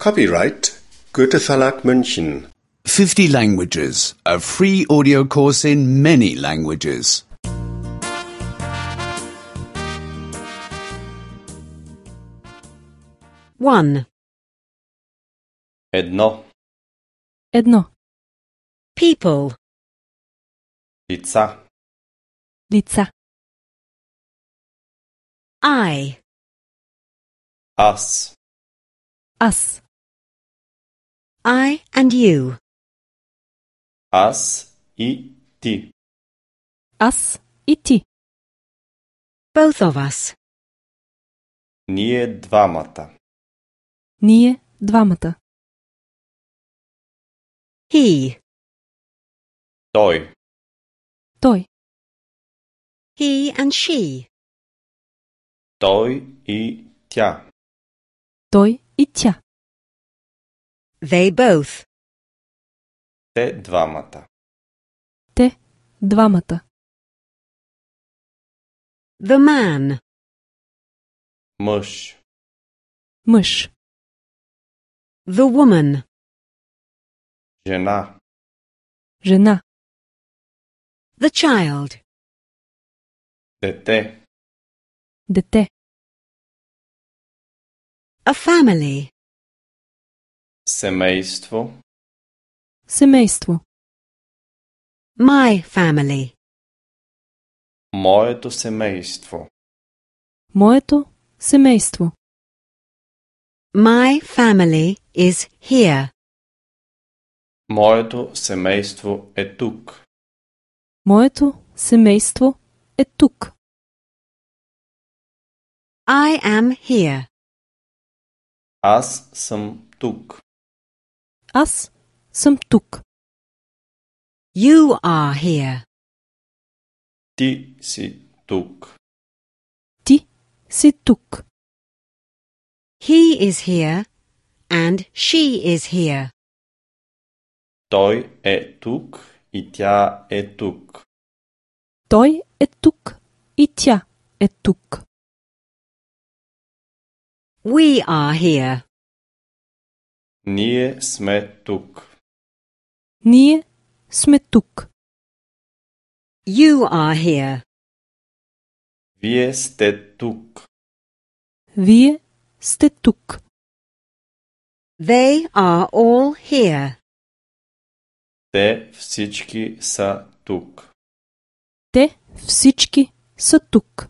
Copyright Goethe Verlag München. 50 languages. A free audio course in many languages. 1. Едно. Едно. People. Лица. Лица. I. Аз. Аз. I and you. Аз и ти. Аз и ти. Both of us. Ние двамата. Ние двамата. He. Той. Той. He and she. Той и тя. Той и тя. They both. Те двамата. Те двамата. The man. Мъж. Мъж. The woman. Жена. Жена. The child. Дете. Дете. A family. Семейство. Семейство. My family. Моето семейство. Моето семейство. My family is here. Моето семейство е тук. Моето семейство е тук. I am here. Аз съм тук. Аз съм тук. You are here. Ти си тук. Ти си тук. He is here and she is here. Той е тук и тя е тук. Той е тук и тя е тук. We are here. Ние сме тук. Ние сме тук. You are here. Вие сте тук. Вие сте тук. They are all here. Те всички са тук. Те всички са тук.